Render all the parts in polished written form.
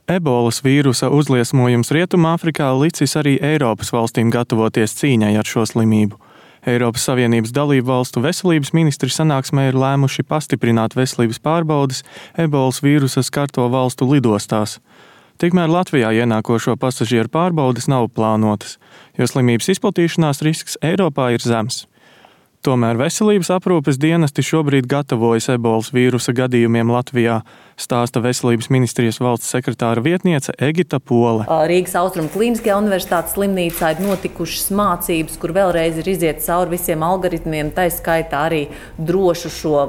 Ebolas vīrusa uzliesmojums Rietumāfrikā licis arī Eiropas valstīm gatavoties cīņai ar šo slimību. Eiropas Savienības dalību valstu veselības ministri sanāksmē ir lēmuši pastiprināt veselības pārbaudes Ebolas vīrusa skarto valstu lidostās. Tikmēr Latvijā ienākošo pasažieru pārbaudes nav plānotas, jo slimības izplatīšanās risks Eiropā ir zems. Tomēr veselības aprūpes dienesti šobrīd gatavojas Ebolas vīrusa gadījumiem Latvijā, stāsta Veselības ministrijas valsts sekretāra vietniece Egita Pole. Rīgas Austrumu Klīniskajā universitātes slimnīcā ir notikušas mācības, kur vēlreiz ir iziet cauri visiem algoritmiem, tā skaitā arī drošu šo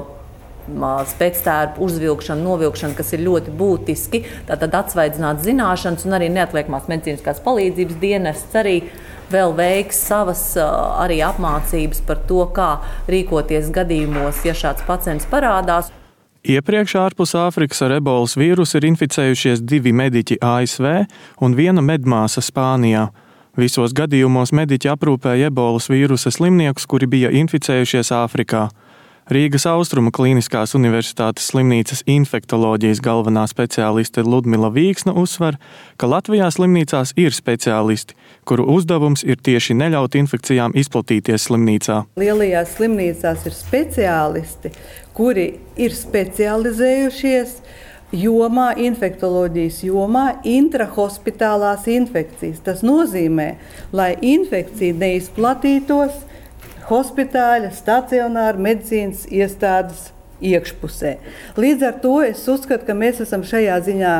spēctērpu uzvilkšanu, novilkšanu, kas ir ļoti būtiski, tātad atsvaidzināt zināšanas un arī neatliekamās medicīniskās palīdzības dienests arī vēl veiks savas arī apmācības par to, kā rīkoties gadījumos, ja šāds pacients parādās. Iepriekš ārpus Āfrikas ar ebolas vīrusu ir inficējušies 2 mediķi ASV un 1 medmāsa Spānijā. Visos gadījumos mediķi aprūpēja ebolas vīrusa slimniekus, kuri bija inficējušies Āfrikā. Rīgas Austrumu Klīniskās universitātes slimnīcas infektoloģijas galvenā speciāliste Ludmila Vīksna uzsver, ka Latvijā slimnīcās ir speciālisti, kuru uzdevums ir tieši neļaut infekcijām izplatīties slimnīcā. Lielajās slimnīcās ir speciālisti, kuri ir specializējušies jomā, infektoloģijas jomā, intrahospitālās infekcijas. Tas nozīmē, lai infekcija neizplatītos hospitāļa, stacionāra medicīnas iestādes iekšpusē. Līdz ar to es uzskatu, ka mēs esam šajā ziņā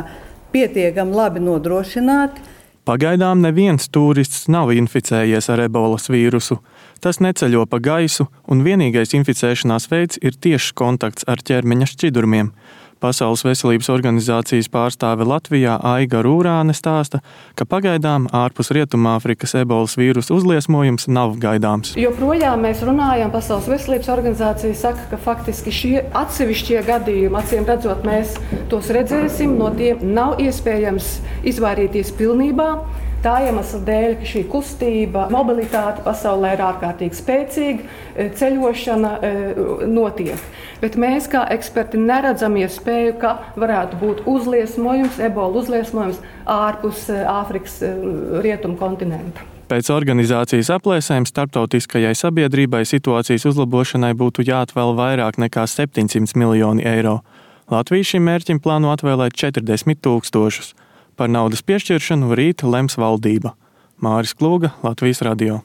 pietiekami labi nodrošināti. Pagaidām neviens turists nav inficējies ar ebolas vīrusu. Tas neceļo pa gaisu, un vienīgais inficēšanās veids ir tiešs kontakts ar ķermeņa šķidrumiem. Pasaules veselības organizācijas pārstāve Latvijā Aiga Rūrāne stāsta, ka pagaidām ārpus Rietumāfrikas ebolas vīrusa uzliesmojums nav gaidāms. Joprojām mēs runājam, Pasaules veselības organizācija saka, ka faktiski šie atsevišķie gadījumi, acīm redzot, mēs tos redzēsim, no tiem nav iespējams izvairīties pilnībā. Tā iemesla dēļ, ka šī kustība, mobilitāte pasaulē ir ārkārtīgi spēcīga, ceļošana notiek. Bet mēs kā eksperti neredzam iespēju, ka varētu būt uzliesmojums, ebola uzliesmojums ārpus Āfrikas rietumu kontinenta. Pēc organizācijas aplēsēm starptautiskajai sabiedrībai situācijas uzlabošanai būtu jāatvēl vairāk nekā 700 miljoni eiro. Latvija šim mērķim plāno atvēlēt 40 000. Par naudas piešķiršanu rīt lems valdība. Māris Klūga, Latvijas radio.